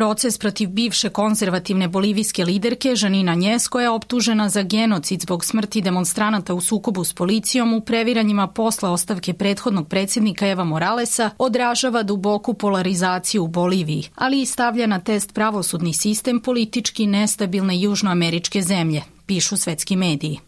proces protiv bivše konzervativne bolivijske liderke Janine Añez, koja je optužena za genocid zbog smrti demonstranata u sukobu s policijom u previranjima posle ostavke prethodnog predsjednika Eva Moralesa, odražava duboku polarizaciju u Boliviji, ali i stavlja na test pravosudni sistem politički nestabilne južnoameričke zemlje, pišu svetski mediji.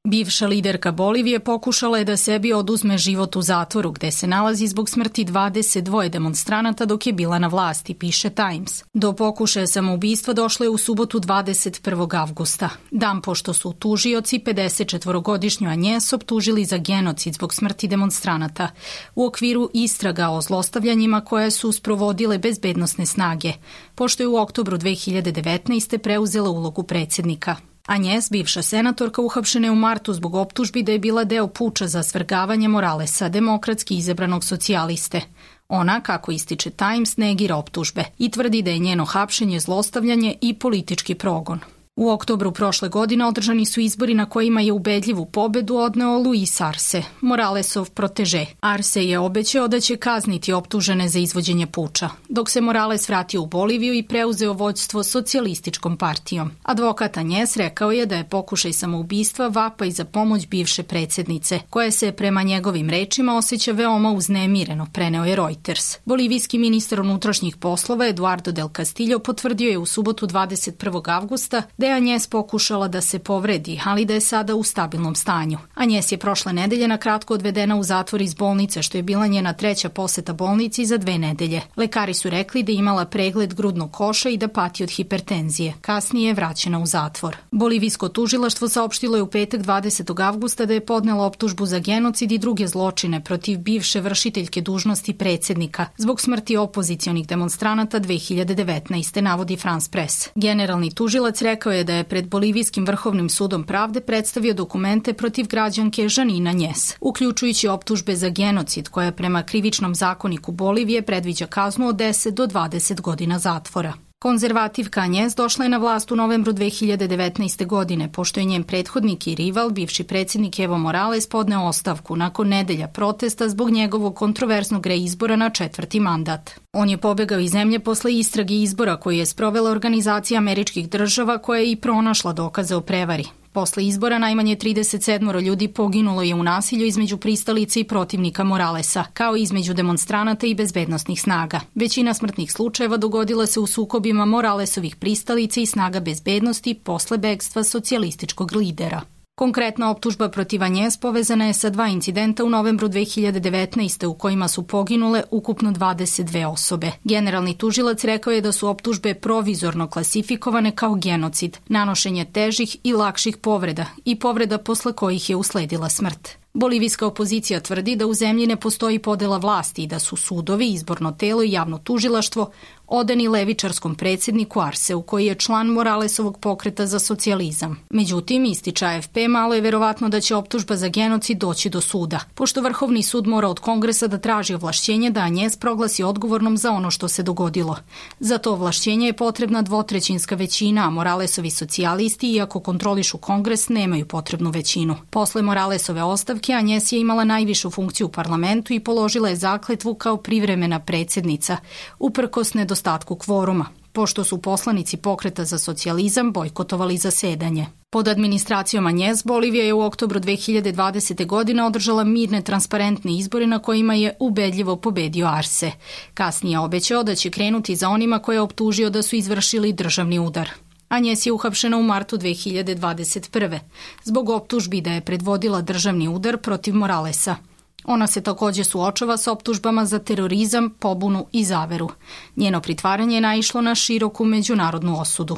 Bivša liderka Bolivije pokušala je da sebi oduzme život u zatvoru gde se nalazi zbog smrti 22 demonstranata dok je bila na vlasti, piše Times. Do pokušaja samoubistva došlo je u subotu 21. avgusta, dan pošto su tužioci 54-godišnju Añez optužili za genocid zbog smrti demonstranata u okviru istraga o zlostavljanjima koje su sprovodile bezbednosne snage, pošto je u oktobru 2019. preuzela ulogu predsjednika. Añez, bivša senatorka, uhapšena je u martu zbog optužbi da je bila deo puča za svrgavanje Moralesa, demokratski izabranog socijaliste. Ona, kako ističe Times, negira optužbe i tvrdi da je njeno hapšenje zlostavljanje i politički progon. U oktobru prošle godine održani su izbori na kojima je ubedljivu pobedu odneo Luis Arce, Moralesov proteže. Arce je obećao da će kazniti optužene za izvođenje puča, dok se Morales vratio u Boliviju i preuzeo vođstvo socijalističkom partijom. Advokat Añez rekao je da je pokušaj samoubistva vapaj za pomoć bivše predsjednice, koja se prema njegovim rečima osjeća veoma uznemireno, preneo je Reuters. Bolivijski ministar unutrašnjih poslova Eduardo del Castillo potvrdio je u subotu 21. avgusta da je Añez pokušala da se povredi, ali da je sada u stabilnom stanju. Añez je prošle nedelje na kratko odvedena u zatvor iz bolnice, što je bila njena treća poseta bolnici za 2 nedelje. Lekari su rekli da je imala pregled grudnog koša i da pati od hipertenzije. Kasnije je vraćena u zatvor. Bolivijsko tužilaštvo saopštilo je u petak 20. avgusta da je podnela optužbu za genocid i druge zločine protiv bivše vršiteljke dužnosti predsjednika zbog smrti opozicionih demonstranata 2019. navodi France Press. Generalni tužilac rekao je da je pred Bolivijskim vrhovnim sudom pravde predstavio dokumente protiv građanke Janine Añez, uključujući optužbe za genocid koja prema krivičnom zakoniku Bolivije predviđa kaznu od 10 do 20 godina zatvora. Konzervativka Añez došla je na vlast u novembru 2019. godine, pošto je njen prethodnik i rival, bivši predsjednik Evo Morales, podneo ostavku nakon nedelja protesta zbog njegovog kontroverznog reizbora na 4. mandat. On je pobegao iz zemlje posle istrage izbora koju je sprovela Organizacija američkih država, koja je i pronašla dokaze o prevari. Posle izbora najmanje 37 ljudi poginulo je u nasilju između pristalica i protivnika Moralesa, kao i između demonstranata i bezbednosnih snaga. Većina smrtnih slučajeva dogodila se u sukobima Moralesovih pristalica i snaga bezbednosti posle begstva socijalističkog lidera. Konkretna optužba protiv Añez povezana je sa 2 incidenta u novembru 2019. u kojima su poginule ukupno 22 osobe. Generalni tužilac rekao je da su optužbe provizorno klasifikovane kao genocid, nanošenje težih i lakših povreda i povreda posle kojih je usledila smrt. Bolivijska opozicija tvrdi da u zemlji ne postoji podela vlasti i da su sudovi, izborno telo i javno tužilaštvo odani levičarskom predsjedniku Arceu, koji je član Moralesovog pokreta za socijalizam. Međutim, ističe AFP, malo je verovatno da će optužba za genocid doći do suda, pošto Vrhovni sud mora od Kongresa da traži ovlašćenje da Añez proglasi odgovornom za ono što se dogodilo. Za to ovlašćenje je potrebna 2/3 većina, a Moralesovi socijalisti, iako kontrolišu Kongres, nemaju potrebnu većinu. Posle Moralesove ostavke, Añez je imala najvišu funkciju u parlamentu i položila je zakletvu kao privremena predsjednica, uprkos nedostatku kvoruma, pošto su poslanici pokreta za socijalizam bojkotovali zasedanje. Pod administracijom Añez, Bolivija je u oktobru 2020. godine održala mirne, transparentne izbore na kojima je ubedljivo pobedio Arce. Kasnije je obećao da će krenuti za onima koje je optužio da su izvršili državni udar. Añez je uhapšena u martu 2021. zbog optužbi da je predvodila državni udar protiv Moralesa. Ona se također suočava s optužbama za terorizam, pobunu i zaveru. Njeno pritvaranje je naišlo na široku međunarodnu osudu.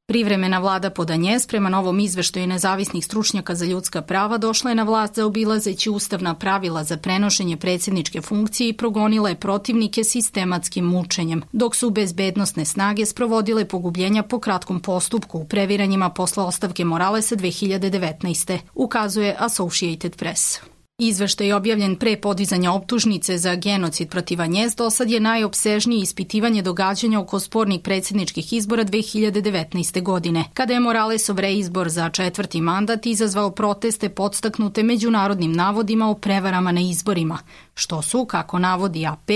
Privremena vlada pod Añez, prema novom izveštaju nezavisnih stručnjaka za ljudska prava, došla je na vlast zaobilazeći ustavna pravila za prenošenje predsjedničke funkcije i progonila je protivnike sistematskim mučenjem, dok su bezbednosne snage sprovodile pogubljenja po kratkom postupku u previranjima posle ostavke Moralesa 2019. ukazuje Associated Press. Izveštaj objavljen pre podizanja optužnice za genocid protiv Agnès dosad je najopsežnije ispitivanje događanja oko spornih predsjedničkih izbora 2019. godine, kada je Moralesov reizbor za 4. mandat izazvao proteste podstaknute međunarodnim navodima o prevarama na izborima, što su, kako navodi AP,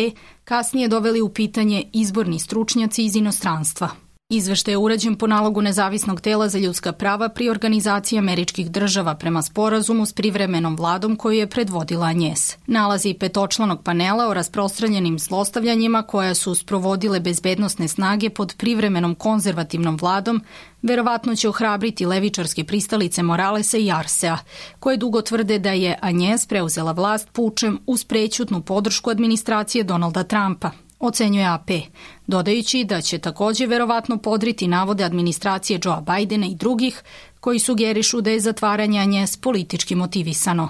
kasnije doveli u pitanje izborni stručnjaci iz inostranstva. Izveštaj je urađen po nalogu nezavisnog tela za ljudska prava pri Organizaciji Američkih država prema sporazumu s privremenom vladom koju je predvodila Agnès. Nalazi petočlanog panela o rasprostranjenim zlostavljanjima koja su sprovodile bezbednosne snage pod privremenom konzervativnom vladom verovatno će ohrabriti levičarske pristalice Moralesa i Arsea, koje dugo tvrde da je Agnès preuzela vlast pučem uz prećutnu podršku administracije Donalda Trumpa, ocenjuje AP, dodajući da će takođe verovatno podriti navode administracije Joea Bidena i drugih koji sugerišu da je zatvaranje Agnès politički motivisano.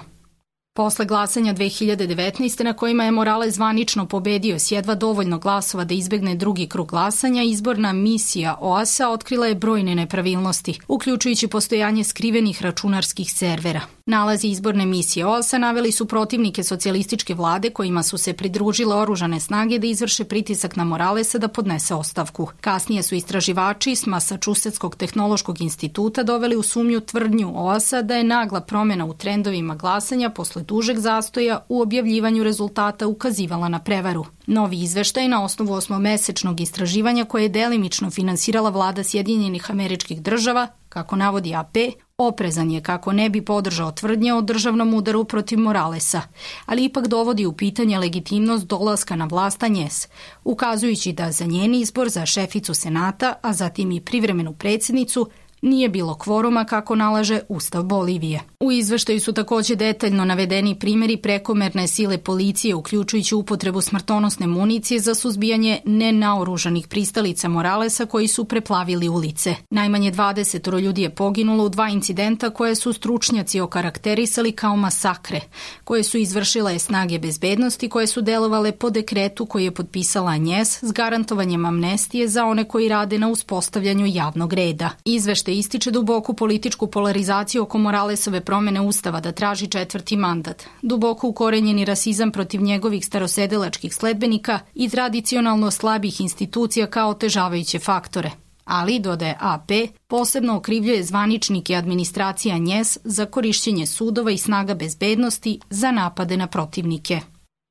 Posle glasanja 2019. na kojima je Morales zvanično pobedio s jedva dovoljno glasova da izbegne drugi krug glasanja, izborna misija OAS-a otkrila je brojne nepravilnosti, uključujući postojanje skrivenih računarskih servera. Nalazi izborne misije OAS-a naveli su protivnike socijalističke vlade kojima su se pridružile oružane snage da izvrše pritisak na Moralesa da podnese ostavku. Kasnije su istraživači s Masačusetskog tehnološkog instituta doveli u sumnju tvrdnju OAS-a da je nagla promjena u trendovima glasanja posle dužeg zastoja u objavljivanju rezultata ukazivala na prevaru. Novi izveštaj na osnovu 8-mesečnog istraživanja koje je delimično finansirala vlada Sjedinjenih Američkih država, kako navodi AP, oprezan je kako ne bi podržao tvrdnje o državnom udaru protiv Moralesa, ali ipak dovodi u pitanje legitimnost dolaska na vlast Agnès, ukazujući da za njen izbor za šeficu Senata, a zatim i privremenu predsjednicu, nije bilo kvoruma kako nalaže Ustav Bolivije. U izveštaju su takođe detaljno navedeni primjeri prekomerne sile policije, uključujući upotrebu smrtonosne municije za suzbijanje nenaoružanih pristalica Moralesa koji su preplavili ulice. Najmanje 20 ljudi je poginulo u 2 incidenta koje su stručnjaci okarakterisali kao masakre, koje su izvršile snage bezbednosti koje su delovale po dekretu koji je potpisala Agnès s garantovanjem amnestije za one koji rade na uspostavljanju javnog reda. Izveštaj ističe duboku političku polarizaciju oko Moralesove promjene Ustava da traži 4. mandat, duboko ukorenjeni rasizam protiv njegovih starosedelačkih sledbenika i tradicionalno slabih institucija kao otežavajuće faktore. Ali, dodaje AP, posebno okrivljuje zvaničnike administracije Agnès za korišćenje sudova i snaga bezbednosti za napade na protivnike.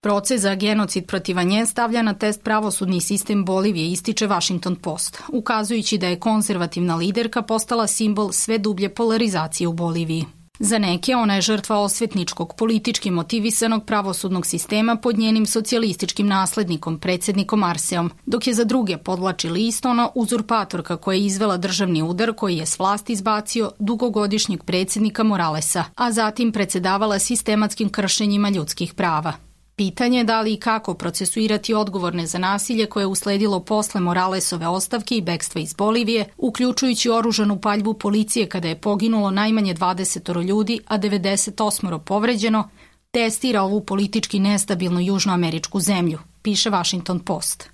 Proces za genocid protiv Agnès stavlja na test pravosudni sistem Bolivije, ističe Washington Post, ukazujući da je konzervativna liderka postala simbol sve dublje polarizacije u Boliviji. Za neke ona je žrtva osvetničkog, politički motivisanog pravosudnog sistema pod njenim socijalističkim naslednikom, predsjednikom Arseom, dok je za druge podvlači list ona uzurpatorka koja je izvela državni udar koji je s vlasti izbacio dugogodišnjeg predsjednika Moralesa, a zatim predsedavala sistematskim kršenjima ljudskih prava. Pitanje je da li i kako procesuirati odgovorne za nasilje koje je usledilo posle Moralesove ostavke i bekstva iz Bolivije, uključujući oružanu paljbu policije kada je poginulo najmanje 20 ljudi, a 98 povređeno, testira ovu politički nestabilnu južnoameričku zemlju, piše Washington Post.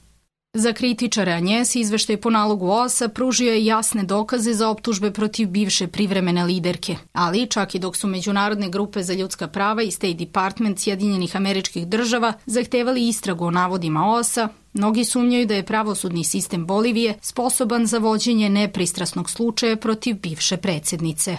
Za kritičare Agnès izveštaj po nalogu OAS-a pružio je jasne dokaze za optužbe protiv bivše privremene liderke, ali čak i dok su međunarodne grupe za ljudska prava i State Department Sjedinjenih Američkih država zahtevali istragu o navodima OAS-a, mnogi sumnjaju da je pravosudni sistem Bolivije sposoban za vođenje nepristrasnog slučaja protiv bivše predsjednice.